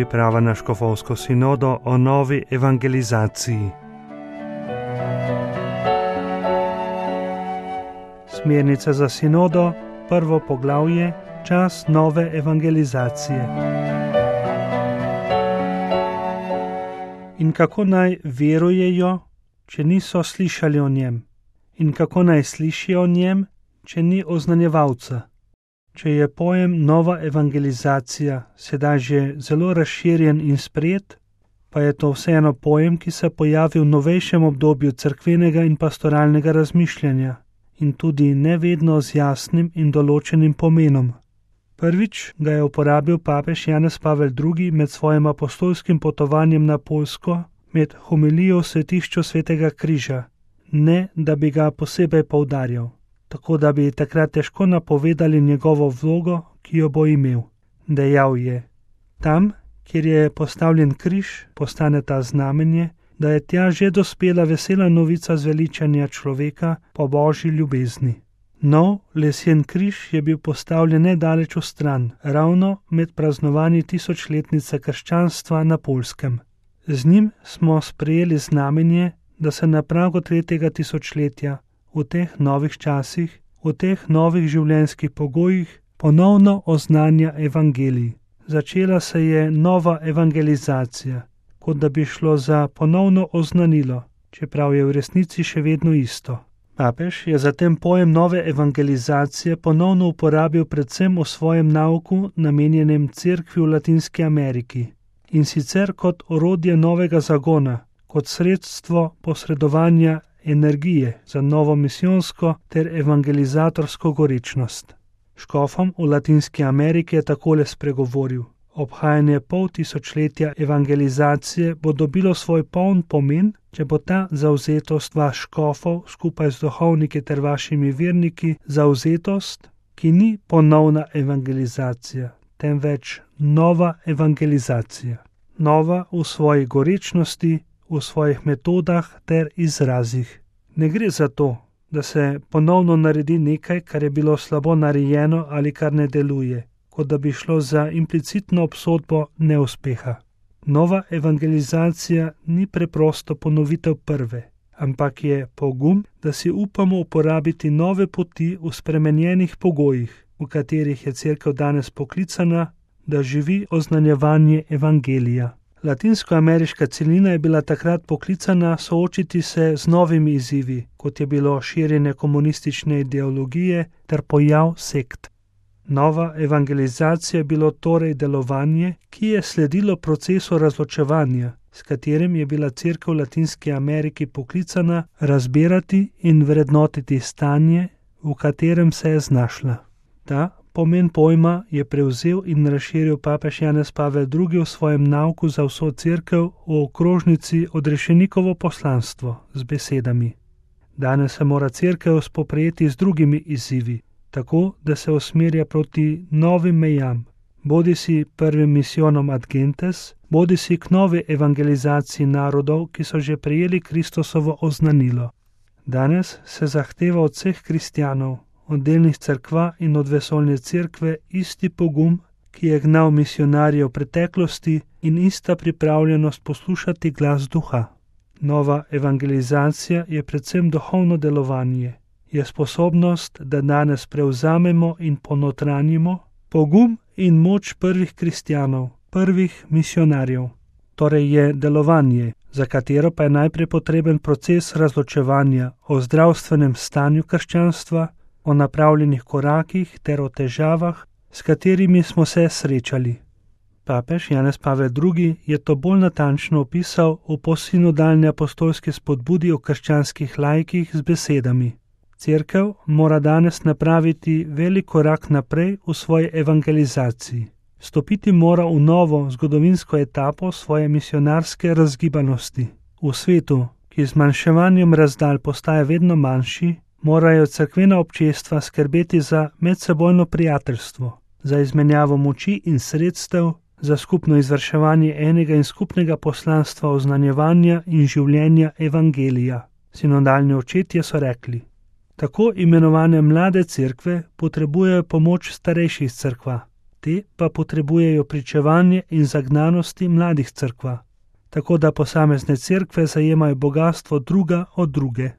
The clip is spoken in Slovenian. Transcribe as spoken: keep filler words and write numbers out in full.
priprava na škofovsko sinodo o novi evangelizaciji. Smernice za sinodo, prvo poglavje, čas nove evangelizacije. In kako naj verujejo, če niso slišali o njem? In kako naj slišijo o njem, če ni oznanjevalca? Če je pojem nova evangelizacija sedaj že zelo razširjen in sprejet, pa je to vseeno pojem, ki se pojavi v novejšem obdobju cerkvenega in pastoralnega razmišljanja in tudi ne vedno z jasnim in določenim pomenom. Prvič ga je uporabil papež Janez Pavel drugi med svojim apostolskim potovanjem na Poljsko med homilijo v svetišču Svetega križa, ne da bi ga posebej poudarjal, tako da bi takrat težko napovedali njegovo vlogo, ki jo bo imel. Dejal je: tam, kjer je postavljen križ, postane ta znamenje, da je tja že dospela vesela novica zveličanja človeka po božji ljubezni. Nov lesen križ je bil postavljen nedaleč v stran, ravno med praznovanji tisočletnice krščanstva na Poljskem. Z njim smo sprejeli znamenje, da se na pragu tretjega tisočletja, v teh novih časih, v teh novih življenjskih pogojih, ponovno oznanja evangelij. Začela se je nova evangelizacija, kot da bi šlo za ponovno oznanilo, čeprav je v resnici še vedno isto. Papež je zatem pojem nove evangelizacije ponovno uporabil predvsem v svojem nauku namenjenem cerkvi v Latinski Ameriki, in sicer kot orodje novega zagona, kot sredstvo posredovanja energije za novo misijonsko ter evangelizatorsko gorečnost. Škofom v Latinski Ameriki je takole spregovoril: obhajanje pol tisočletja evangelizacije bo dobilo svoj poln pomen, če bo ta zavzetost vaš škofov skupaj z duhovniki ter vašimi verniki zavzetost, ki ni ponovna evangelizacija, temveč nova evangelizacija. Nova v svoji gorečnosti, v svojih metodah ter izrazih. Ne gre za to, da se ponovno naredi nekaj, kar je bilo slabo narejeno ali kar ne deluje, kot da bi šlo za implicitno obsodbo neuspeha. Nova evangelizacija ni preprosto ponovitev prve, ampak je pogum, da si upamo uporabiti nove poti v spremenjenih pogojih, v katerih je cerkev danes poklicana, da živi oznanjevanje evangelija. Latinskoameriška celina je bila takrat poklicana soočiti se z novimi izzivi, kot je bilo širjenje komunistične ideologije ter pojav sekt. Nova evangelizacija je bilo torej delovanje, ki je sledilo procesu razločevanja, s katerim je bila cerkev v Latinski Ameriki poklicana razbirati in vrednotiti stanje, v katerem se je znašla. Ta pomen pojma je prevzel in razširil papež Janez Pavel drugi v svojem nauku za vso cerkev v okrožnici Odrešenikovo poslanstvo z besedami: danes se mora cerkev spoprijeti z drugimi izzivi, tako da se usmerja proti novim mejam, bodi si prvim misijonom ad gentes, bodi si k novi evangelizaciji narodov, ki so že prejeli Kristusovo oznanilo. Danes se zahteva od vseh kristjanov, od delnih cerkva in od vesoljne cerkve isti pogum, ki je gnal misionarje v preteklosti, in ista pripravljenost poslušati glas duha. Nova evangelizacija je predvsem duhovno delovanje, je sposobnost, da danes prevzamemo in ponotranjimo pogum in moč prvih kristjanov, prvih misionarjev. Torej je delovanje, za katero pa je najprej potreben proces razločevanja o zdravstvenem stanju krščanstva, o napravljenih korakih ter o težavah, s katerimi smo se srečali. Papež Janez Pavel drugi je to bolj natančno opisal v postsinodalni apostolski spodbudi o krščanskih laikih z besedami: cerkev mora danes napraviti velik korak naprej v svoji evangelizaciji. Stopiti mora v novo zgodovinsko etapo svoje misionarske razgibanosti. V svetu, ki z manjševanjem razdalj postaja vedno manjši, morajo cerkvena občestva skrbeti za medsebojno prijateljstvo, za izmenjavo moči in sredstev, za skupno izvrševanje enega in skupnega poslanstva oznanjevanja in življenja evangelija. Sinodalni očetje so rekli: tako imenovane mlade cerkve potrebujejo pomoč starejših cerkva. te pa potrebujejo pričevanje in zagnanosti mladih cerkva, tako da posamezne cerkve zajemajo bogastvo druga od druge.